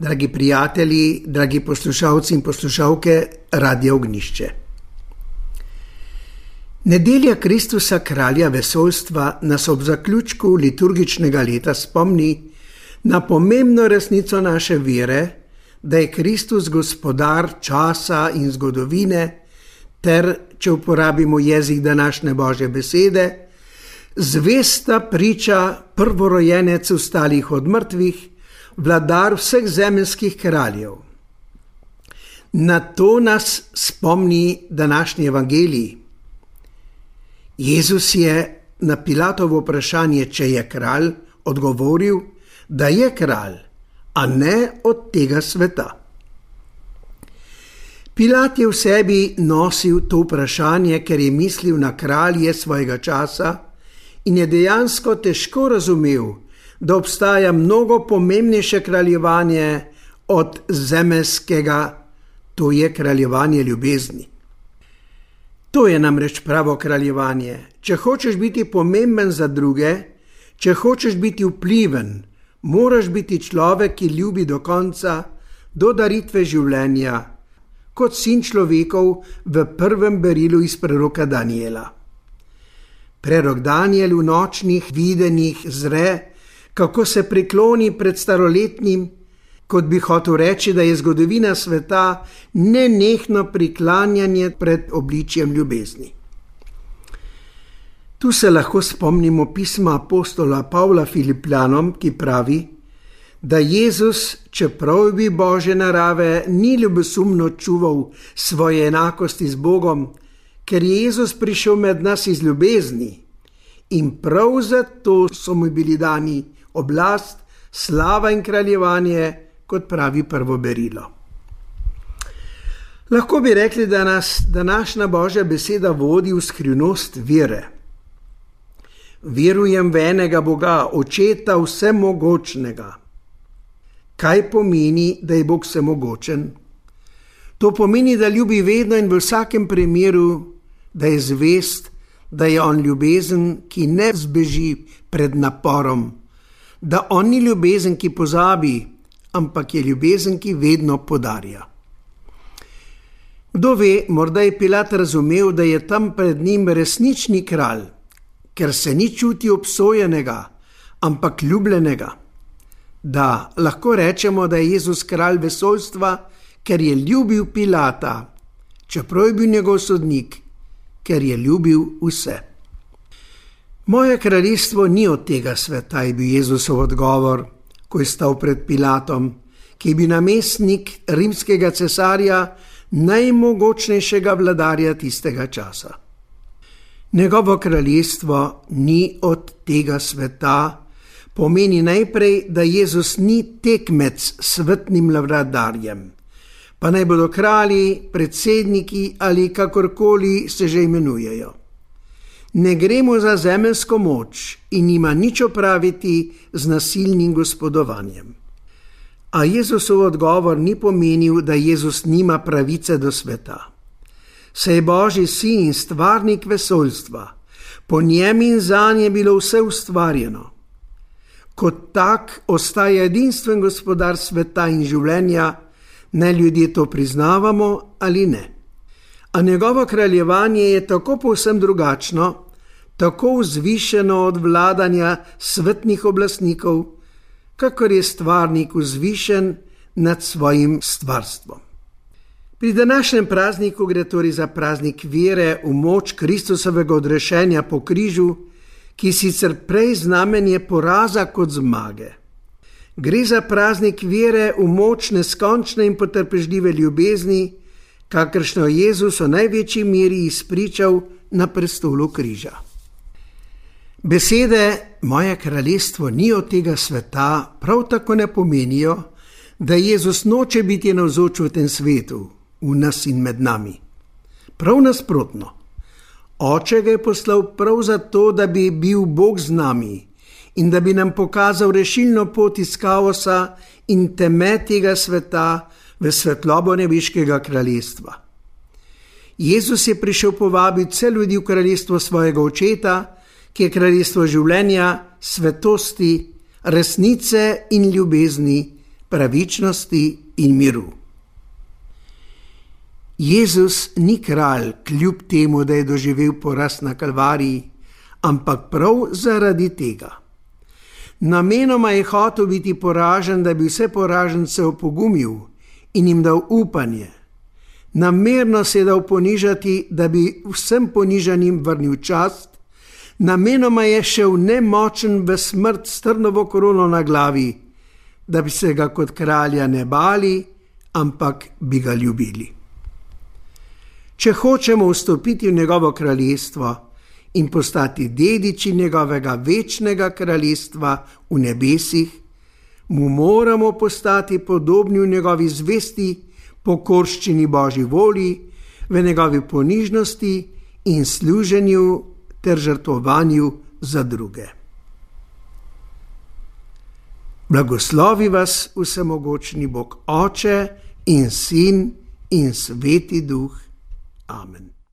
Dragi prijatelji, dragi poslušalci in poslušalke Radia Ognjišče. Nedelja Kristusa, kralja vesoljstva, nas ob zaključku liturgičnega leta spomni na pomembno resnico naše vere, da je Kristus gospodar časa in zgodovine ter, če uporabimo jezik današnje Božje besede, zvesta priča, prvorojenec vstalih od mrtvih, vladar vseh zemeljskih kraljev. Na to nas spomni današnji evangelij. Jezus je na Pilatovo vprašanje, če je kralj, odgovoril, da je kralj, a ne od tega sveta. Pilat je v sebi nosil to vprašanje, ker je mislil na kralje svojega časa in je dejansko težko razumel, da obstaja mnogo pomembnejše kraljevanje od zemeljskega, to je kraljevanje ljubezni. To je namreč pravo kraljevanje. Če hočeš biti pomemben za druge, če hočeš biti vpliven, moraš biti človek, ki ljubi do konca, do daritve življenja, kot sin človekov v prvem berilu iz preroka Daniela. Prerok Daniel v nočnih videnjih zre, kako se prikloni pred staroletnim, kot bi hotel reči, da je zgodovina sveta nenehno priklanjanje pred obličjem ljubezni. Tu se lahko spomnimo pisma apostola Pavla Filipljanom, ki pravi, da Jezus, čeprav bi Božje narave, ni ljubosumno čuval svoje enakosti z Bogom, ker je Jezus prišel med nas iz ljubezni in prav zato so mu bili dani oblast, slava in kraljevanje, kot pravi prvo berilo. Lahko bi rekli, da nas današnja Božja beseda vodi v skrivnost vere. Verujem v enega Boga, Očeta vsemogočnega. Kaj pomeni, da je Bog vsemogočen? To pomeni, da ljubi vedno in v vsakem primeru, da je zvest, da je on ljubezen, ki ne zbeži pred naporom, da on ni ljubezen, ki pozabi, ampak je ljubezen, ki vedno podarja. Kdo ve, morda je Pilat razumel, da je tam pred njim resnični kralj, ker se ni čuti obsojenega, ampak ljubljenega. Da, lahko rečemo, da je Jezus kralj vesoljstva, ker je ljubil Pilata, čeprav je bil njegov sodnik, ker je ljubil vse. Moje kraljestvo ni od tega sveta, je bil Jezusov odgovor, ko je stal pred Pilatom, ki je bil namestnik rimskega cesarja, najmogočnejšega vladarja tistega časa. Njegovo kraljestvo ni od tega sveta, pomeni najprej, da Jezus ni tekmec s svetnim vladarjem, pa naj bodo kralji, predsedniki ali kakorkoli se že imenujejo. Ne gremo za zemeljsko moč in nima nič opraviti z nasilnim gospodovanjem. A Jezusov odgovor ni pomenil, da Jezus nima pravice do sveta. Saj je Božji sin in stvarnik vesoljstva, po njem in zanj je bilo vse ustvarjeno. Kot tak ostaja edinstven gospodar sveta in življenja, ne ljudje to priznavamo ali ne. A njegovo kraljevanje je tako povsem drugačno, tako vzvišeno od vladanja svetnih oblastnikov, kakor je stvarnik vzvišen nad svojim stvarstvom. Pri današnjem prazniku gre torej za praznik vere v moč Kristusovega odrešenja po križu, ki sicer prej znamenje poraza kot zmage. Gre za praznik vere v moč neskončne in potrpežljive ljubezni, kakršno je Jezus v največji meri izpričal na prestolu križa. Besede moje kraljestvo ni od tega sveta prav tako ne pomenijo, da Jezus noče biti navzoč v tem svetu, v nas in med nami. Prav nasprotno. Oče ga je poslal prav zato, da bi bil Bog z nami in da bi nam pokazal rešilno pot iz kaosa in teme tega sveta v svetlobo nebeškega kraljestva. Jezus je prišel povabiti vse ljudi v kraljestvo svojega Očeta, ki je kraljestvo življenja, svetosti, resnice in ljubezni, pravičnosti in miru. Jezus ni kralj kljub temu, da je doživel poraz na Kalvariji, ampak prav zaradi tega. Namenoma je hotel biti poražen, da bi vse poražence opogumil in jim dal upanje. Namerno se je dal ponižati, da bi vsem ponižanim vrnil čast. Namenoma je šel nemočen v smrt s trnovo korono na glavi, da bi se ga kot kralja ne bali, ampak bi ga ljubili. Če hočemo vstopiti v njegovo kraljestvo in postati dediči njegovega večnega kraljestva v nebesih, mu moramo postati podobni v njegovi zvesti pokorščini Božji volji, v njegovi ponižnosti in služenju ter žrtvovanju za druge. Blagoslovi vas vsemogočni Bog Oče in Sin in Sveti Duh. Amen.